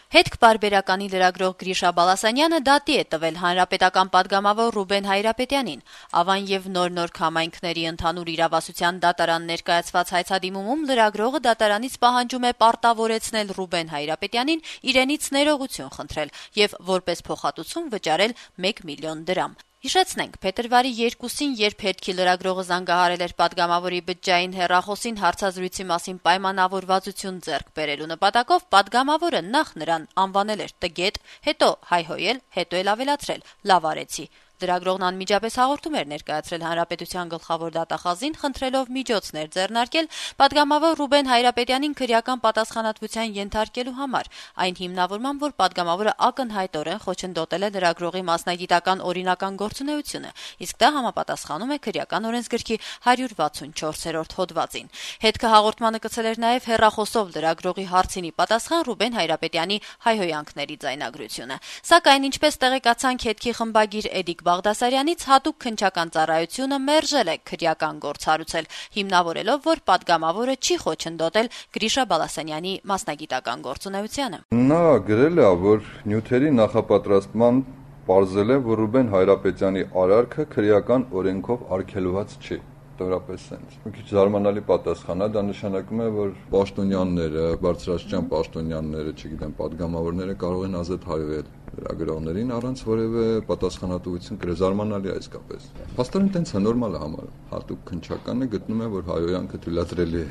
Հետք պարբերականի լրագրող Գրիշա Բալասանյանը դատի է տվել հանրապետական պատգամավոր Ռուբեն Հայրապետյանին։ Ավան եւ նոր համայնքների ընդհանուր իրավասության դատարան ներկայացված հայցադիմումում լրագրողը դատարանից պահանջում է պարտավորեցնել Ռուբեն Հայրապետյանին իրենից ներողություն խնդրել եւ որպես փոխհատուցում վճարել 1 միլիոն դրամ։ Հիշեցնենք, փետրվարի 2-ին, երբ հետքի լրագրողը զանգահարել էր պատգամավորի բջջային հեռախոսին հարցազրույցի մասին պայմանավորվածություն ձեռք բերելու նպատակով, պատգամավորը նախ նրան անվանել էր տգետ, հետո հայհոյել, հետո էլ ավելացրել՝ լավ արեցի։ Լրագրողն անմիջապես հաղորդում էր ներկայացրել հանրապետության գլխավոր դատախազին, խնդրելով միջոցներ ձեռնարկել պատգամավոր Ռուբեն Հայրապետյանին քրեական պատասխանատվության ենթարկելու համար, այն հիմնավորման, որ պատգամավորը ակնհայտորեն խոչընդոտել է լրագրողի մասնագիտական օրինական գործունեությունը, իսկ դա համապատասխանում է քրեական օրենսգրքի 164-րդ հոդվածին։ Հետքը հաղորդմանը կցել էր նաև հեռախոսով լրագրողի հարցինի պատասխան Ռուբեն Հայրապետյանի հայհոյանքների ձայնագրությունը։ Սակայն, ինչպես տեղեկացանք հետքի խմբագիր Էդիկ Բաղդասարյանից, հատուկ քննչական ծառայությունը մերժել է քրեական գործ հարուցել, հիմնավորելով, որ պատգամավորը չի խոչընդոտել Գրիշա Բալասանյանի մասնագիտական գործունեությանը։ Նա գրել է, որ նյութերի նախապատրաստման պարզել է, որ Ռուբեն Հայրապետյանի արարքը քրեական օրենքով արգելված չի։ Դորապես sense։ Մի քիչ զարմանալի պատասխան է, դա նշանակում է, որ պաշտոնյաները, բարձրաստիճան պաշտոնյաները, չգիտեմ, պատգամավորները կարող են ազատ հայվել լրագրողներին առանց որևէ պատասխանատվություն կրել, զարմանալի է իսկապես։ Փաստորեն տենց է, նորմալ է համարը։ Հատուկ քննչականը գտնում է, որ հայհոյանքը թույլատրելի է։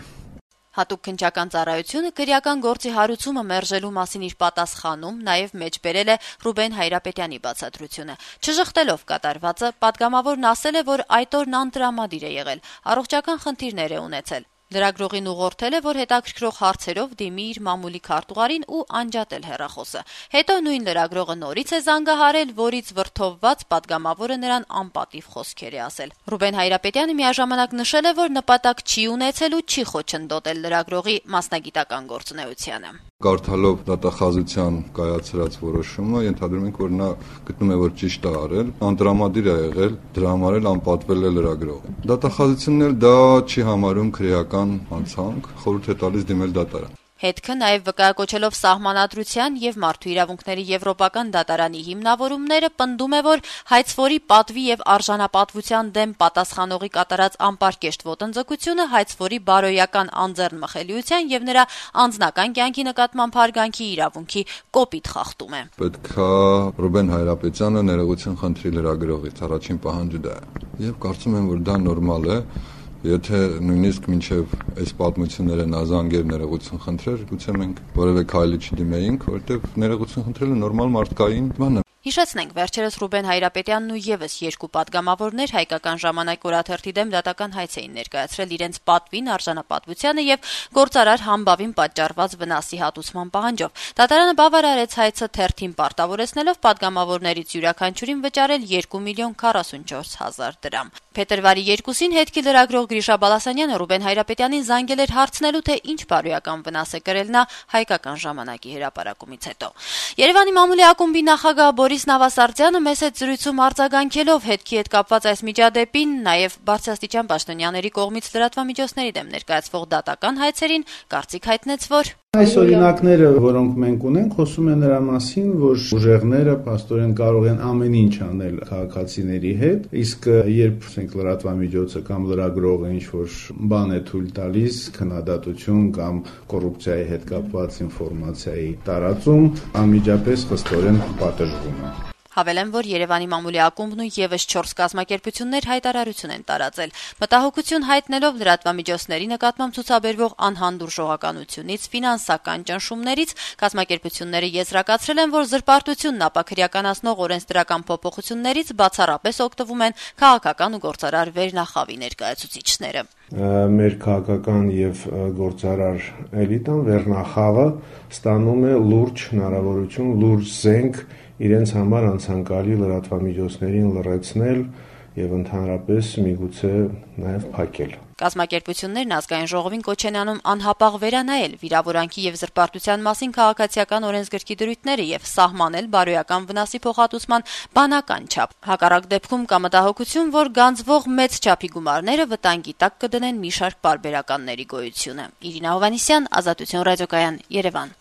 Հատուկ քննչական ծառայությունը քրեական գործի հարուցումը մերժելու մասին իր պատասխանում նաև մեջբերել է Ռուբեն Հայրապետյանի բացատրությունը։ Չժխտելով կատարվածը, պատգամավորն ասել է, որ այդ օրն անտրամադիր է եղել, առողջական խնդիրներ է ունեցել։ Լրագրողին ուղղորդել է, որ հետաքրքրող հարցերով դիմի իր մամուլի քարտուղարին ու անջատել հեռախոսը։ Հետո նույն լրագրողը նորից է զանգահարել, որից վրդովված պատգամավորը նրան անպատիվ խոսքեր է ասել։ Ռուբեն Հայրապետյանը միաժամանակ նշել է, որ նպատակ չի ունեցել ու չի խոչընդոտել լրագրողի մասնագիտական գործունեությանը։ Կարդալով դատախազության կայացրած որոշումը, ենթադրում ենք, որ նա գտնում է, որ ճիշտ է արել, անտրամադիր է եղել, դրա համար էլ անպատվել է լրագրողը։ Դատախազությունն էլ դա չի համարում քրեական հանցանք, խորհուրդ է տալիս դիմել դատարան։ Հետքը նաև վկայակոչելով Սահմանադրության եւ Մարդու իրավունքների Եվրոպական դատարանի հիմնավորումները, պնդում է, որ հայցվորի պատվի եւ արժանապատվության դեմ պատասխանողի կատարած անպարկեշտ ոտնձգությունը հայցվորի բարոյական անձեռնմխելիության եւ նրա անձնական կյանքի նկատմամբ հարգանքի իրավունքի կոպիտ խախտում է։ Պետք է Ռուբեն Հայրապետյանը ներողություն խնդրի լրագրողից, առաջին պահանջը դա է։ Եվ կարծում եմ, որ դա նորմալ է։ Եթե նույնիսկ մինչև այս պատմությունները նա զանգեր ներողություն խնդրեր, գուցե մենք որևէ քայլի չդիմեինք, որովհետև ներողություն խնդրելը նորմալ մարդկային բան է։ Հիշեցնենք, վերջերս Ռուբեն Հայրապետյանն ու եւս երկու պատգամավորներ Հայկական ժամանակ օրաթերթի դեմ դատական հայց էին ներկայացրել իրենց պատվին, արժանապատվությանը եւ գործարար համբավին պատճառված վնասի հատուցման պահանջով։ Դատարանը բավարարեց հայցը թերթին պարտավորեցնելով պատգամավորներից յուրաքանչյուրին վճարել 2 միլիոն 44 հազար դրամ։ Փետրվարի 2-ին հետքի լրագրող Գրիշա Բալասանյանը Ռուբեն Հայրապետյանին զանգել էր հարցնելու, թե ինչ բարոյական վնաս է կրել նա Հայկական ժամանակի հրապարակումից հետո։ Երևանի մամուլի ակումբի նախագահ Բորիս Նավասարդյանը մեծ զրույցում արձագանքելով հետքի հետ կապված այս միջադեպին, նաև բարձրաստիճան պաշտոնյաների կողմից լրատվամիջոցների դեմ ներկայացվող դատական հայցերին, կարծիք հայտնեց, որ այս օրինակները, որոնք մենք ունենք, խոսում են նրա մասին, որ ուժեղները փաստորեն կարող են ամեն ինչ անել քաղաքացիների հետ, իսկ երբ լրատվամիջոցը կամ լրագրողը ինչ-որ բան է թույլ տալիս, քննադատություն կամ կոռուպցիայի հետ կապված ինֆորմացիայի տարածում, անմիջապես խստորեն պատժվում է։ Հավելեմ, որ Երևանի մամուլի ակումբն ու եւս 4 կազմակերպություններ հայտարարություն են տարածել։ Մտահոգություն հայտնելով լրատվամիջոցների նկատմամբ ցուցաբերվող անհանդուրժողականությունից, ֆինանսական ճնշումներից, կազմակերպությունները եզրակացրել են, որ զրպարտությունն ապաքրեականացնող օրենսդրական փոփոխություններից բացառապես օգտվում են քաղաքական ու գործարար վերնախավի ներկայացուցիչները։ Մեր քաղաքական եւ գործարար էլիտան վերնախավը ստանում է լուրջ հնարավորություն, լուրջ զենք իրենց համար անցանկալի լրատվամիջոցներին լռեցնել եւ ընդհանրապես միգուցե նաեւ փակել։ Կազմակերպություններն ազգային ժողովին կոչ են անում անհապաղ վերանայել վիրավորանքի եւ զրպարտության մասին քաղաքացիական օրենսգրքի դրույթները եւ սահմանել բարոյական վնասի փոխհատուցման բանական չափ։ Հակառակ դեպքում կա մտահոգություն, որ գանձվող մեծ չափի գումարները վտանգի տակ կդնեն մի շարք պարբերականների գոյությունը։ Իրինա Հովհաննիսյան, Ազատություն ռադիոկայան, Երևան։